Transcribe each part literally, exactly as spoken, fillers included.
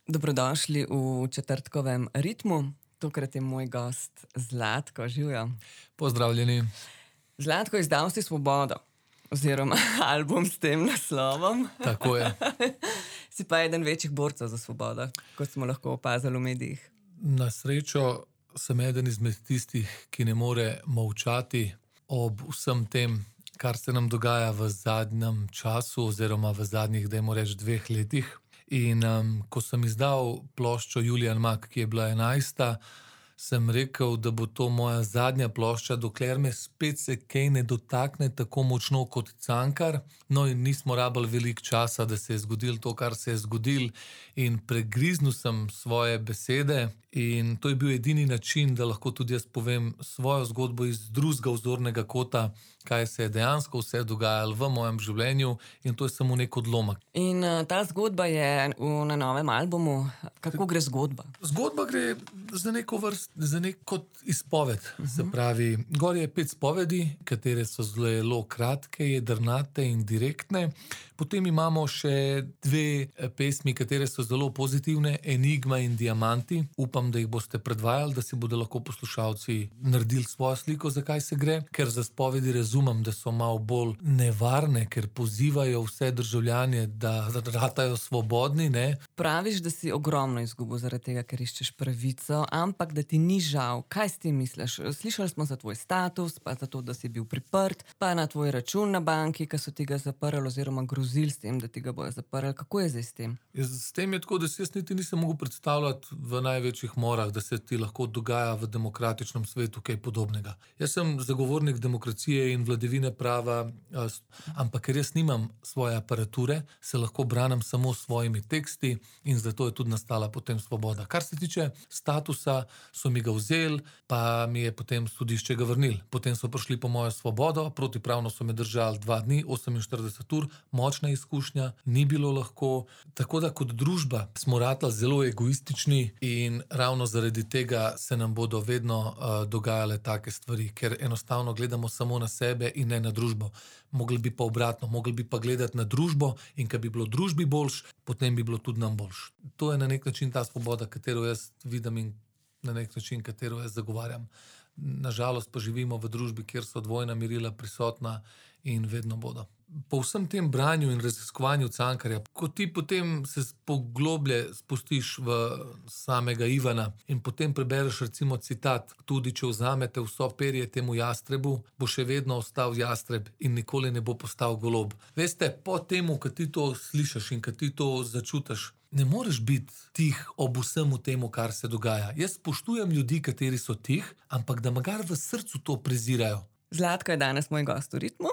Dobrodošli v četrtkovem ritmu. Tokrat je moj gost Zlatko. Živjo. Pozdravljeni. Zlatko, izdal si Svobodo, oziroma album s tem naslovom. Tako je. Si pa eden večjih borcev za svobodo, kot smo lahko opazili v medijih. Na srečo sem eden izmed tistih, ki ne more molčati ob vsem tem, kar se nam dogaja v zadnjem času oziroma v zadnjih, dajmo reči, dveh letih. In um, ko sem izdal ploščo Julian Mak, ki je bila enajsta, sem rekel, da bo to moja zadnja plošča, dokler me spet se kaj ne dotakne tako močno kot Cankar. No, in nismo rabili veliko časa, da se je zgodilo to, kar se je zgodilo, in pregriznil sem svoje besede. In to je bil edini način, da lahko tudi jaz povem svojo zgodbo iz drugega vzornega kota, kaj se je dejansko vse dogajalo v mojem življenju, in to je samo nek odlomek. In uh, ta zgodba je v, na novem albumu. Kako gre zgodba? Zgodba gre za neko vrst, za neko izpoved. Uh-huh. Se pravi, gor je pet spovedi, katere so zelo kratke, jedrnate in direktne. Potem imamo še dve pesmi, katere so zelo pozitivne, Enigma in Diamanti. Upam, da jih boste predvajali, da si bodo lahko poslušalci naredili svojo sliko, zakaj se gre. Ker za spovedi razumem, da so malo bolj nevarne, ker pozivajo vse državljane, da ratajo svobodni, ne. Praviš, da si ogromno izgubil zaradi tega, ker iščeš pravico, ampak da ti ni žal. Kaj s tem misliš? Slišali smo za tvoj status, pa za to, da si bil priprt, pa na tvoj račun na banki, ki so ti ga zaprli oziroma grozili s tem, da ti ga bojo zaprli. Kako je zdaj s tem? S tem je tako, da si jaz niti nisem mogel predstavljati v največjih morah, da se ti lahko dogaja v demokratičnem svetu kaj podobnega. Jaz sem zagovornik demokracije in vladavine prava, ampak ker jaz nimam svoje aparature, se lahko branim samo s svojimi teksti in zato je tudi nastala potem Svoboda. Kar se tiče statusa, so mi ga vzeli, pa mi je potem sodišče ga vrnili. Potem so prišli po mojo svobodo, protipravno so me držali dva dni, oseminštirideset ur, močna izkušnja, ni bilo lahko. Tako da kot družba smo ratali zelo egoistični in ravno zaradi tega se nam bodo vedno uh, dogajale take stvari, ker enostavno gledamo samo na sebe in ne na družbo. Mogli bi pa obratno, mogli bi pa gledati na družbo in kad bi bilo družbi boljš, potem bi bilo tudi nam boljš. To je na nek način ta svoboda, katero jaz vidim in na nek način, katero jaz zagovarjam. Nažalost pa živimo v družbi, kjer so dvojna merila prisotna in vedno bodo. Po vsem tem branju in raziskovanju Cankarja, ko ti potem se pogloblje spustiš v samega Ivana in potem prebereš recimo citat, tudi če vzamete vso perje temu jastrebu, bo še vedno ostal jastreb in nikoli ne bo postal golob. Veste, po temu, kad ti to slišiš in kad ti to začutiš, ne moreš biti tih ob vsemu temu, kar se dogaja. Jaz spoštujem ljudi, kateri so tih, ampak da magar v srcu to prezirajo. Zlatko je danes moj gost v ritmu.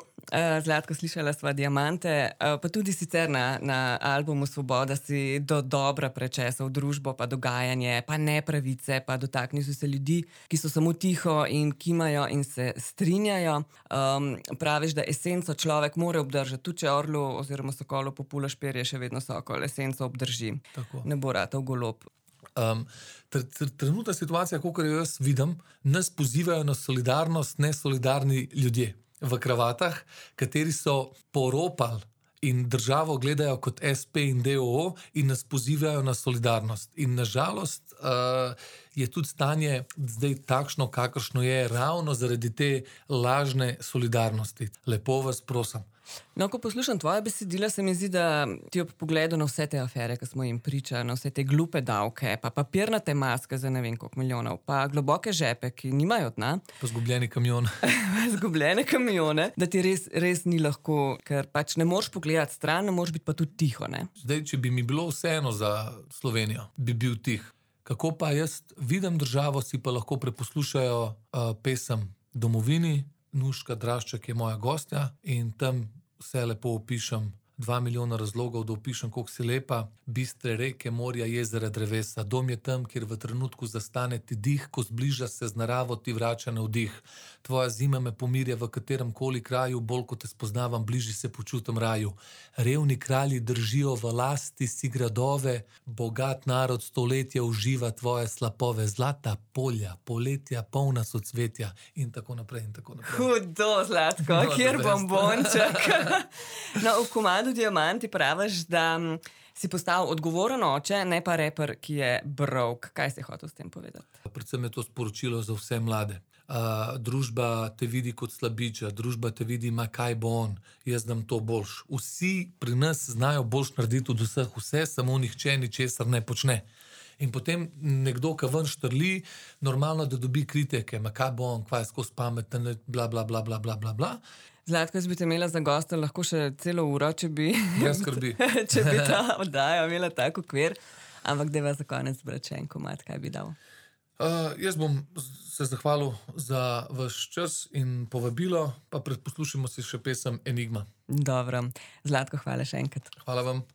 Zlatko, slišala sva Diamante, pa tudi sicer na, na albumu Svoboda si do dobra prečesal družbo, pa dogajanje, pa nepravice, pa dotaknil si se ljudi, ki so samo tiho in kimajo in se strinjajo. Um, praviš, da esenco človek mora obdržati, tudi če orlu oziroma sokolu populaš perje, še vedno sokol esenco obdrži. Tako. Ne bo ratal golob. Um, tr, tr, trenutna situacija, kakor jo jaz vidim, nas pozivajo na solidarnost nesolidarni ljudje v kravatah, kateri so poropali in državo gledajo kot es pe in de o o in nas pozivajo na solidarnost. In nažalost uh, je tudi stanje zdaj takšno, kakršno je, ravno zaradi te lažne solidarnosti. Lepo vas prosim. No, ko poslušam tvoje besedila, se mi zdi, da ti ob pogledu na vse te afere, ki smo jim priča, na vse te glupe davke, pa papirnate maske za ne vem koliko milijonov, pa globoke žepe, ki nimajo dna. Pa zgubljeni kamion. Zgubljene kamione, da ti res, res ni lahko, ker pač ne moreš pogledati stran, ne moreš biti pa tudi tiho, ne? Zdaj, če bi mi bilo vseeno za Slovenijo, bi bil tih. Kako pa jaz vidim državo, si pa lahko preposlušajo uh, pesem Domovini, Nuška Drašček je moja gostja in tam vse lepo opišem. Dva milijona razlogov, da opišem, koliko si lepa. Bistre reke, morja, jezera, drevesa. Dom je tam, kjer v trenutku zastane ti dih, ko zbliža se z naravo, ti vrača na vdih. Tvoja zima me pomirja v katerem koli kraju, bolj ko te spoznavam, bližje se počutim raju. Revni kralji držijo v lasti si gradove, bogat narod stoletja uživa tvoje slapove, zlata polja, poletja, polna socvetja in tako naprej in tako naprej. Hudo, Zlatko, No, kjer the best. bombonček. No, v komadu Rado Diamanti praviš, da m, si postal odgovoren oče, ne pa reper, ki je broke. Kaj si hotel s tem povedati? Predvsem je to sporočilo za vse mlade. Uh, družba te vidi kot slabiča, družba te vidi, ma kaj bo on, jaz dam to boljš. Vsi pri nas znajo boljš narediti od vseh, vse, samo nihče ničesar ne počne. In potem nekdo, ki ven štrli, normalno, da dobi kritike, ma kaj bo on, kva je skozi pameten, bla, bla, bla, bla, bla, bla, bla. Zlatko, jaz bi te imela za gosta lahko še celo uro, če bi, Brez skrbi. če bi ta oddaja imela tak okvir. Ampak dajva za konec brati še en komad, kaj bi dal. Uh, jaz bom se zahvalil za vaš čas in povabilo, pa predposlušamo si še pesem Enigma. Dobro. Zlatko, hvala še enkrat. Hvala vam.